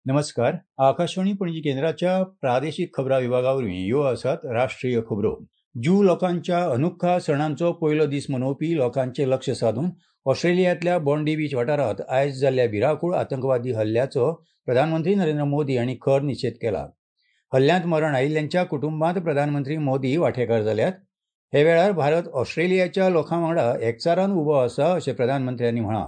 नमस्कार. आकाशवाणी पणजी केंद्राच्या प्रादेशीक खबरां विभागा वरवीं ह्यो आसात राष्ट्रीय खबरो. ज्यू लोकांच्या अनुखा सणांचो पयलो दीस मनोवपी लोकांचें लक्ष सादून ऑस्ट्रेलियांतल्या बॉन्डी बीच वाठारांत आयज जाल्ल्या भिरांकूळ आतंकवादी हल्ल्याचो प्रधानमंत्री नरेंद्र मोदी हांणी खर निशेध केला. हल्ल्यांत मरण आयिल्ल्यांच्या कुटुंबांत प्रधानमंत्री मोदी वांटेकार जाल्यात. हे वेळार भारत ऑस्ट्रेलियाच्या लोकां वांगडा एकचारान उबो आसा अशें प्रधानमंत्र्यांनी म्हळां.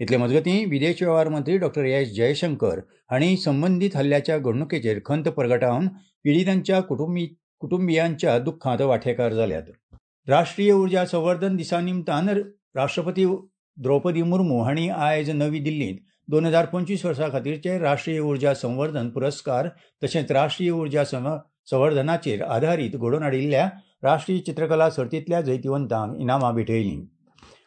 इतले मजगतीं विदेश वेव्हार मंत्री डॉक्टर एस जयशंकर हांणी संबंदीत हल्ल्याच्या घडणुकेचेर खंत परगटावन पिडितांच्या कुटुंबियांच्या दुख्खांत वांटेकार जाल्यात. राष्ट्रीय उर्जा संवर्धन दिसा निमतान राष्ट्रपती द्रौपदी मुर्मू हांणी आयज नवी दिल्लींत 2025 वर्सा खातीरचे राष्ट्रीय उर्जा संवर्धन पुरस्कार तशेंच राष्ट्रीय उर्जा संवर्धनाचेर आधारीत घडोवन हाडिल्ल्या राष्ट्रीय चित्रकला सर्तींतल्या जैतिवंतांक इनामां भेटयलीं.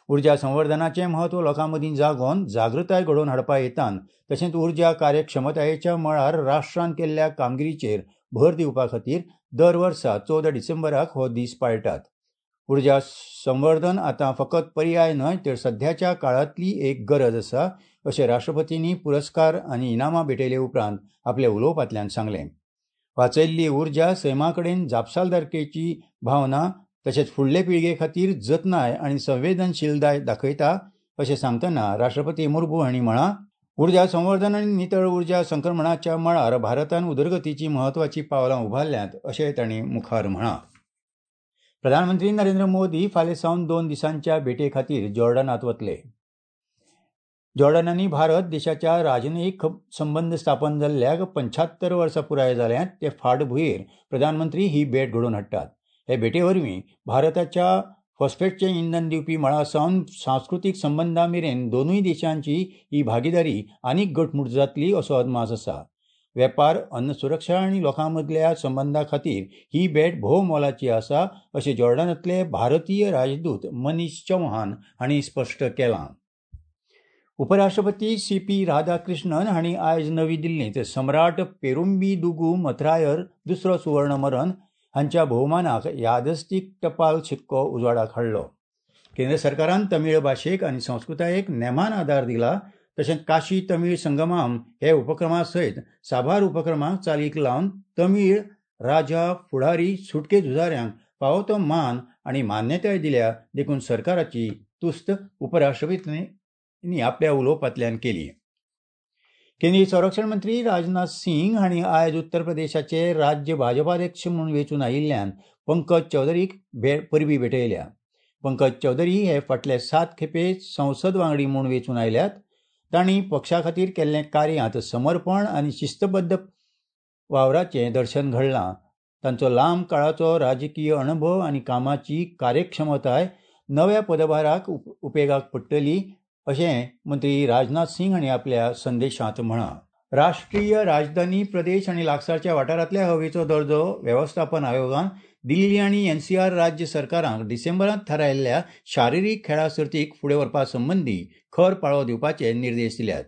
उर्जा संवर्धनाचें म्हत्व लोकां मदीं जागोवन जागृताय घडोवन हाडपा हेतान तशेंच उर्जा कार्यक्षमतायेच्या मळार राष्ट्रान केल्ल्या कामगिरीचेर भर दिवपा खातीर दर वर्सा 14 डिसेंबराक हो दीस पाळटात. उर्जा संवर्धन आतां फकत पर्याय न्हय तर सध्याच्या काळांतली एक गरज आसा अशें राष्ट्रपतींनी पुरस्कार आनी इनामां भेटयले उपरांत आपल्या उलोवपांतल्यान सांगलें. वाचयल्ली उर्जा सैमा कडेन जापसालदारकेची भावना तशेंच फुडले पिळगे खातीर जतनाय आनी संवेदनशीलताय दाखयता अशें सांगतना राष्ट्रपती मुर्मू हांणी म्हळां, उर्जा संवर्धन आनी नितळ उर्जा संक्रमणाच्या मळार भारतान उदरगतीची म्हत्वाची पावलां उबारल्यांत अशें तांणी मुखार म्हळां. प्रधानमंत्री नरेंद्र मोदी फाल्यां सावन 2 दिसांच्या भेटे खातीर जॉर्डनांत वतले. जॉर्डन आनी भारत देशाच्या राजनयीक संबंद स्थापन जाल्ल्याक 75 वर्सां पुराय जाल्यांत ते फाटभुंयेर प्रधानमंत्री ही भेट घडोवन हाडटात. हे भेटे वरवीं भारताच्या फॉस्फेटचें इंधन दिवपी मळा सावन सांस्कृतीक संबंदां मेरेन दोनूय देशांची ही भागीदारी आनीक घटमूट जातली असो अदमास आसा. वेपार, अन्न सुरक्षा आनी लोकां मदल्या संबंदां खातीर ही भेट भोव मोलाची आसा अशें जॉर्डनांतले भारतीय राजदूत मनीष चौहान हांणी स्पश्ट केलां. उपराष्ट्रपती सी पी राधाकृष्णन हांणी आयज नवी दिल्लींत सम्राट पेरुंबीदुगू मथरायर दुसरो सुवर्णमरन हांच्या भोवमानाक यादस्तीक टपाल शिक्को उजवाडाक हाडलो. केंद्र सरकारान तमीळ भाशेक आनी संस्कृतायेक नेमान आदार दिला तशेंच काशी तमीळ संगमाम हे उपक्रमा सयत साबार उपक्रमांक चालीक लावन तमीळ राजा फुडारी सुटके झुजाऱ्यांक फावो तो मान आनी मान्यताय दिल्या देखून सरकाराची तुस्त उपराष्ट्रपतींनी आपल्या उलोवपांतल्यान केली. केंद्रीय संरक्षण मंत्री राजनाथ सिंग हांणी आयज उत्तर प्रदेशाचे राज्य भाजपाध्यक्ष म्हूण वेंचून आयिल्ल्यान पंकज चौधरीक परबी भेटयल्या. पंकज चौधरी हे फाटले 7 खेपे संसद वांगडी म्हूण वेंचून आयल्यात. तांणी पक्षा खातीर केल्लें कार्यांत समर्पण आनी शिस्तबद्ध वावराचें दर्शन घडलां. तांचो लांब काळाचो राजकीय अणभव आनी कामाची कार्यक्षमताय नव्या पदभाराक उपेगाक पडटली अशें मंत्री राजनाथ सिंग हांणी आपल्या संदेशांत म्हळां. राष्ट्रीय राजधानी प्रदेश आनी लागसारच्या वाठारांतल्या हवेचो दर्जो वेवस्थापन आयोगान दिल्ली आनी एनसीआर राज्य सरकारांक डिसेंबरांत थारायल्ल्या शारिरीक खेळां सर्तीक फुडें व्हरपा संबंदी खर पाळो दिवपाचे निर्देश दिल्यात.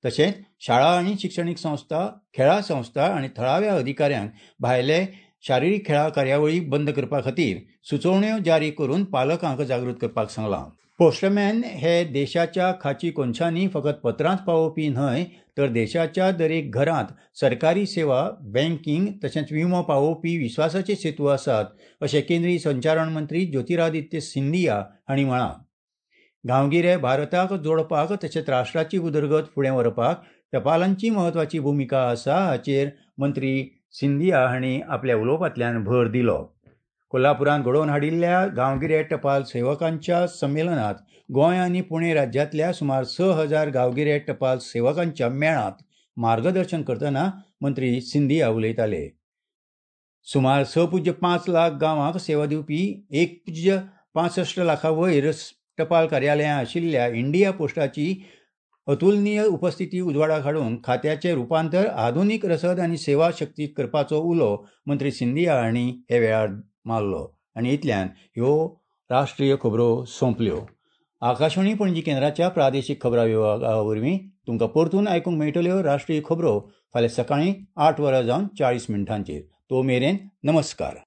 तशेंच शाळा आनी शिक्षणीक संस्था, खेळां संस्था आनी थळाव्या अधिकाऱ्यांक भायले शारिरीक खेळां कार्यावळी बंद करपा खातीर सुचोवण्यो जारी करून पालकांक जागृत करपाक सांगलां. पोस्टमॅन हे देशाच्या खाची कोनशांनी फकत पत्रांच पावोवपी न्हय तर देशाच्या दरेक घरांत सरकारी सेवा, बँकिंग तशेंच विमो पावोवपी विस्वासाचे सेतू आसात अशें केंद्रीय संचारण मंत्री ज्योतिरादित्य सिंधिया हांणी म्हळां. गांवगिरे भारताक जोडपाक तशेंच राष्ट्राची उदरगत फुडें व्हरपाक टपालांची म्हत्वाची भुमिका आसा हाचेर मंत्री सिंधिया हांणी आपल्या उलोवपांतल्यान भर दिलो. कोल्हापुरांत घडोवन हाडिल्ल्या गांवगिरे टपाल सेवकांच्या संमेलनात गोंय आनी पुणे राज्यांतल्या सुमार 6000 गांवगिरे टपाल सेवकांच्या मेळांत मार्गदर्शन करतना मंत्री सिंधिया उलयताले. सुमार 6.5 लाख गांवांक सेवा दिवपी 1.65 लाखां वयर टपाल कार्यालयां आशिल्ल्या इंडिया पोस्टाची अतुलनीय उपस्थिती उजवाडाक हाडून खात्याचें रुपांतर आधुनीक रसद आनी सेवा शक्तीत करपाचो उलो मंत्री सिंधिया हांणी हे वेळार मारलो. आनी इतल्यान ह्यो राष्ट्रीय खबरो सोंपल्यो. आकाशवाणी पणजी केंद्राच्या प्रादेशीक खबरां विभागा वरवीं तुमकां परतून आयकूंक मेळटल्यो राष्ट्रीय खबरो फाल्यां सकाळीं 8:40. तो मेरेन नमस्कार.